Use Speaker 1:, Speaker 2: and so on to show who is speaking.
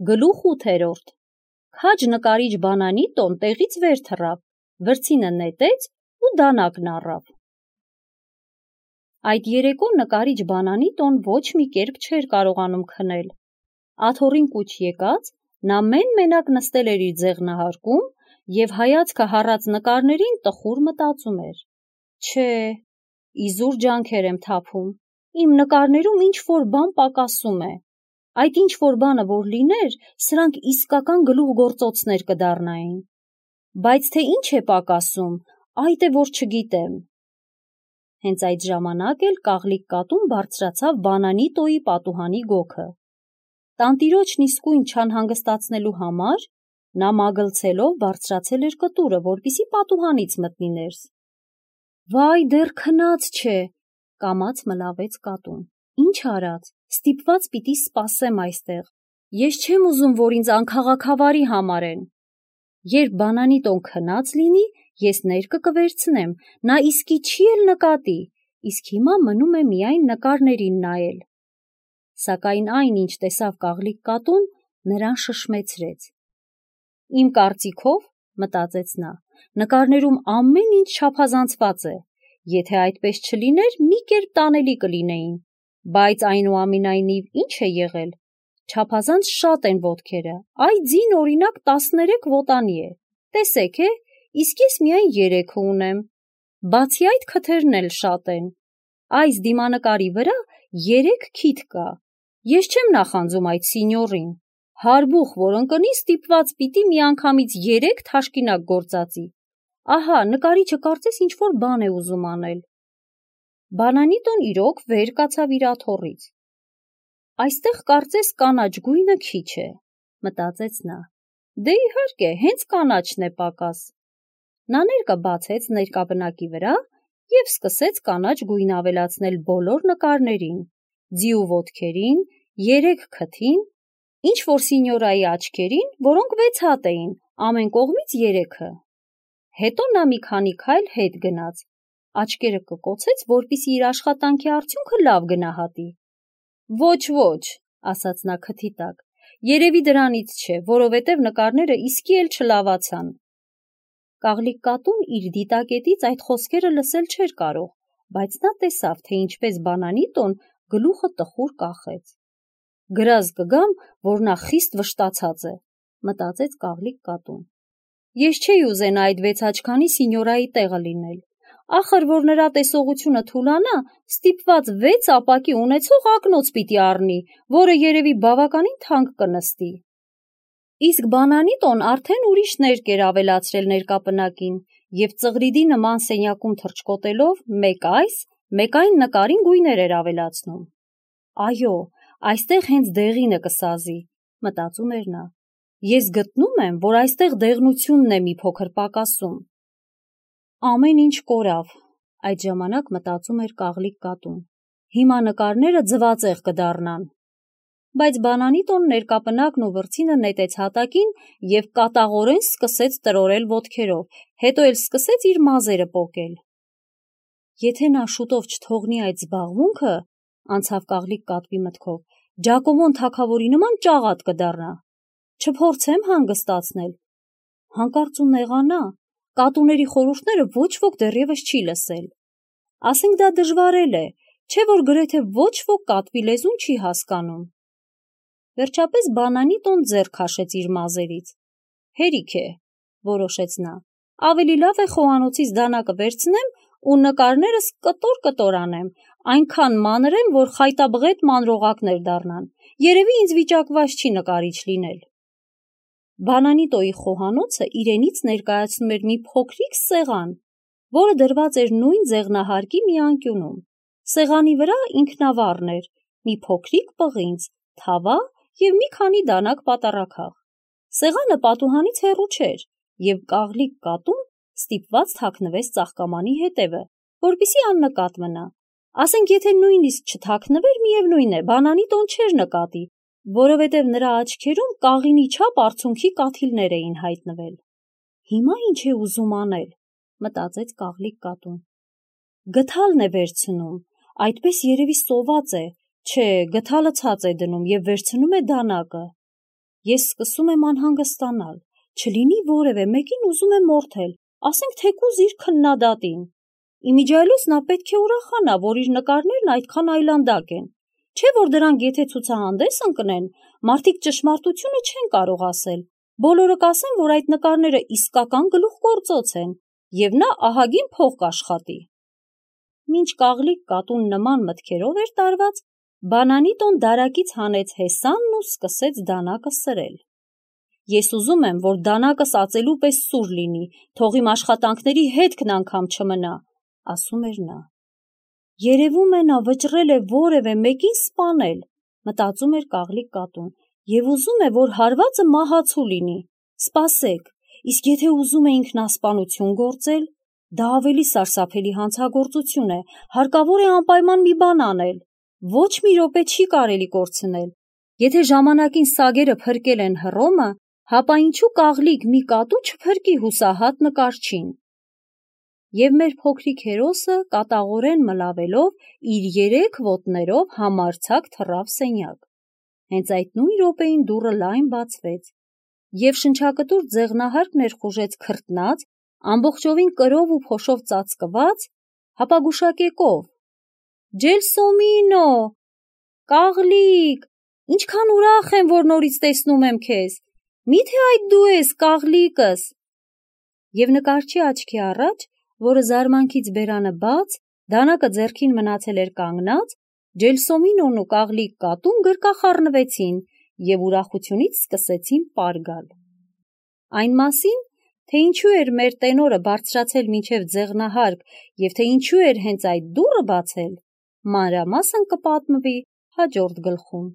Speaker 1: Գլուխ 8-րդ Քաջ նկարիչ Բանանիտոն տեղից վեր թռավ, վրձինը նետեց ու դանակն առավ։ Այդ երեկո նկարիչ Բանանիտոն ոչ մի կերպ չէր կարողանում քնել։ Աթոռին կուչ եկած, նա մեն-մենակ նստել էր իր ձեղնահարկում և հայացքը հառած նկարներին տխուր մտածում էր. Չէ, իզուր ջանքեր եմ թափում, իմ նկարներում ինչ-որ բան պակասում է։ Այդ ինչ-որ բանը որ լիներ, սրանք իսկական գլուխգործոցներ կդառնային։ Բայց թե ինչ է պակասում, այդ է որ չգիտեմ։ Հենց այդ ժամանակ էլ կաղլիկ կատուն բարձրացավ Բանանիտոյի պատուհանի գոգը։ Տանտիրոջն իսկույն չանհանգստացնելու համար նա մագլցելով բարձրացել էր կտուրը, որպեսզի պատուհանից մտնի ներս։ Վայ, դեռ քնած չէ, կամաց մլավեց կատուն։ Ինչ արած, ստիպված պիտի սպասեմ այստեղ։ Ես չեմ ուզում, որ ինձ անքաղաքավարի համարեն։ Երբ Բանանիտոն քնած լինի, ես ներկը կվերցնեմ, նա իսկի չի էլ նկատի, իսկ հիմա մնում է միայն նկարներին նայել։ Սակայն այն, ինչ տեսավ կաղլիկ կատուն, նրան շշմեցրեց։ Իմ կարծիքով, մտածեց նա, նկարներում ամեն ինչ չափազանցված է, եթե այդպես չլիներ, մի կերպ տանելի կլինեին, բայց այնուամենայնիվ ինչ է եղել, չափազանց շատ են ոտքերը, այ ձին օրինակ 13 ոտանի է, տեսեք է, իսկ ես միայն 3 ունեմ, բացի այդ քթերն էլ շատ են, այս դիմանկարի վրա 3 քիթ կա, ես չեմ նախանձում այդ սինյորին, հարբուխ որ ընկնի ստիպված պիտի միանգամից 3 թաշկինակ գործածի, ահա նկարիչը կարծես ինչ-որ բան է ուզում անել։ Բանանիտոն իրոք վեր կացավ իր աթոռից։ Այստեղ կարծես կանաչ գույնը քիչ է, մտածեց նա։ Դե իհարկե, հենց կանաչն է պակաս։ Նա ներկը բացեց ներկաբնակի վրա և սկսեց կանաչ գույն ավելացնել բոլոր նկարներին, ձիու ոտքերին, 3 քթին, ինչ-որ սինյորայի աչքերին, որոնք 6 հատ էին, ամեն կողմից 3-ը։ Հետո նա մի քանի քայլ հետ գնաց, աչքերը կկոցեց, որպեսզի իր աշխատանքի արդյունքը լավ գնահատի։ Ոչ, ասաց նա քթի տակ, երևի դրանից չէ, որովհետև նկարները իսկի էլ չլավացան։ Կաղլիկ կատուն իր դիտակետից այդ խոսքերը լսել չէր կարող, բայց նա տեսավ, թե ինչպես Բանանիտոն գլուխը տխուր կախեց։ Գրազ կգամ, որ նա խիստ վշտացած է, մտածեց կաղլիկ կատուն։ Ես չէի ուզենա այդ 6 աչքանի սինյորայի տեղը լինել։ Ախր որ նրա տեսողությունը թուլանա, ստիպված 6 ապակի ունեցող ակնոց պիտի առնի, որը երևի բավականին թանկ կնստի։ Իսկ Բանանիտոն արդեն ուրիշ ներկ էր ավելացրել ներկապնակին և ծղրիդի նման սենյակում թռչկոտելով մեկ այս, մեկ այն նկարին գույներ էր ավելացնում։ Այո, այստեղ հենց դեղինը կսազի, մտածում էր նա։ Ես գտնում եմ, որ այստեղ դեղնությունն է մի փոքր պակասում։ Ամեն ինչ կորավ, այդ ժամանակ մտածում էր կաղլիկ կատուն։ Հիմա նկարները ձվածեղ կդառնան։ Բայց Բանանիտոն ներկապնակն ու վրձինը նետեց հատակին և կատաղորեն սկսեց տրորել ոտքերով, հետո էլ սկսեց իր մազերը պոկել։ Եթե նա շուտով չթողնի այդ զբաղմունքը, անցավ կաղլիկ կատվի մտքով, Ջակոմոն թագավորի նման ճաղատ կդառնա։ Չփորձեմ հանգստացնել։ Հանկարծ ու նեղանա, կատուների խորհուրդները ոչ ոք դեռևս չի լսել։ Ասենք դա դժվար է, չէ որ գրեթե ոչ ոք կատվի լեզուն չի հասկանում։ Վերջապես Բանանիտոն ձեռ քաշեց իր մազերից։ Հերիք է, որոշեց նա, ավելի լավ է խոհանոցից դանակը վերցնեմ ու նկարներս կտոր անեմ, այնքան մանրեմ, որ խայտաբղետ մանրողակներ դառնան, երևի ինձ վիճակված չի նկարիչ լինել։ Բանանիտոյի խոհանոցը իրենից ներկայացնում էր մի փոքրիկ սեղան, որը դրված էր նույն ձեղնահարկի մի անկյունում։ Սեղանի վրա ինքնավառն էր, մի փոքրիկ պղինձ, թավա և մի քանի դանակ պատառաքաղ։ Սեղանը պատուհանից հեռու չէր, և կաղլիկ կատուն ստիպված թաքնվեց ծաղկամանի հետևը, որպեսզի աննկատ մնա։ Ասենք եթե նույնիսկ չթաքնվեր, միևնույն է, Բանանիտոն չէր նկատի, որովհետև նրա աչքերում կաղինի չափ արցունքի կաթիլներ էին հայտնվել։ Հիմա ինչ է ուզում անել, մտածեց կաղլիկ կատուն։ Գդալն է վերցնում, այդպես երևի սոված է, չէ, գդալը ցած է դնում և վերցնում է դանակը։ Ես սկսում եմ անհանգստանալ, չլինի որևէ մեկին ուզում է մորթել, ասենք թեկուզ իր քննադատին։ Իմիջիայլոց նա պետք է ուրախանա, որ իր նկարներն այդքան այլանդակ են, չէ՞ որ դրանք եթե ցուցահանդես ընկնեն, մարդիկ ճշմարտությունը չեն կարող ասել, բոլորը կասեն, որ այդ նկարները իսկական գլուխգործոց են, և նա ահագին փող կաշխատի։ Մինչ կաղլիկ կատուն նման մտքերով էր տարված, բանանի տոն դարակից հանեց հեսանն ու սկսեց դանակը սրել։ Ես ուզում եմ, որ դանակս ածելու պես սուր լինի, թող իմ աշխատանքների հետքն անգամ չմնա, ասում էր նա։ Երևում է նա վճռել է որևէ մեկին սպանել, մտածում էր կաղլիկ կատուն, և ուզում է, որ հարվածը մահացու լինի։ Սպասեք, իսկ եթե ուզում է ինքնասպանություն գործել, դա ավելի սարսափելի հանցագործություն է, հարկավոր է անպայման մի բան անել, ոչ մի րոպե չի կարելի կորցնել։ Եթե ժամանակին սագերը փրկել են Հռոմը, հապա ինչու կաղլիկ մի կատու չփրկի հուսահատ նկարչին։ Եվ մեր փոքրիկ հերոսը կատաղորեն մլավելով իր 3 ոտներով համարձակ թռավ սենյակ։ Հենց այդ նույն րոպեին դուռը լայն բացվեց, և շնչակտուր ձեղնահարկ ներխուժեց քրտնած, ամբողջովին կրով ու փոշով ծածկված, հապագուշակեկով։ Ջելսոմինո, Կաղլիկ, ինչքան ուրախ եմ, որ նորից տեսնում եմ քեզ, միթե այդ դու ես, կաղլիկս։ Եվ նկարչի աչքի առաջ, որը զարմանքից բերանը բաց, դանակը ձեռքին մնացել էր կանգնած, Ջելսոմինոն ու կաղլիկ կատուն գրկախառնվեցին և ուրախությունից սկսեցին պար գալ։ Այն մասին, թե ինչու էր մեր տենորը բարձրացել մինչև ձեղնահարկ և թե ինչու էր հենց այդ դուռը բացել, մանրամասն կպատմվի հաջորդ գլխում։